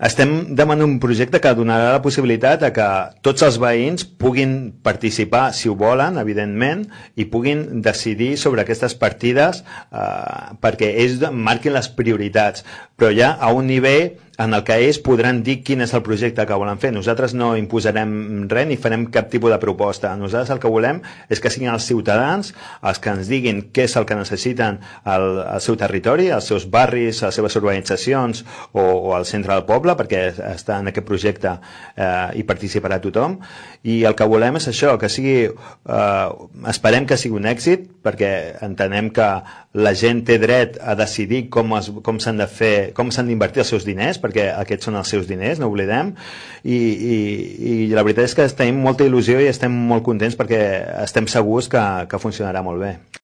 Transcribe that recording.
Estem demanant un projecte que donarà la possibilitat de que tots els veïns puguin participar, si ho volen, evidentment, i puguin decidir sobre aquestes partides perquè ells marquin les prioritats, però ja a un nivell en el que ells podran dir quin és el projecte que volen fer. Nosaltres no imposarem res ni farem cap tipus de proposta. Nosaltres el que volem és que siguin els ciutadans els que ens diguin què és el que necessiten al seu territori, als seus barris, a les seves urbanitzacions o al centre del poble, perquè està en aquest projecte i participarà tothom, i el que volem és això, que sigui esperem que sigui un èxit, perquè entenem que la gent té dret a decidir com s'han de fer, com s'han d'invertir els seus diners, perquè aquests són els seus diners, no oblidem, i la veritat és que tenim molta il·lusió i estem molt contents perquè estem segurs que funcionarà molt bé.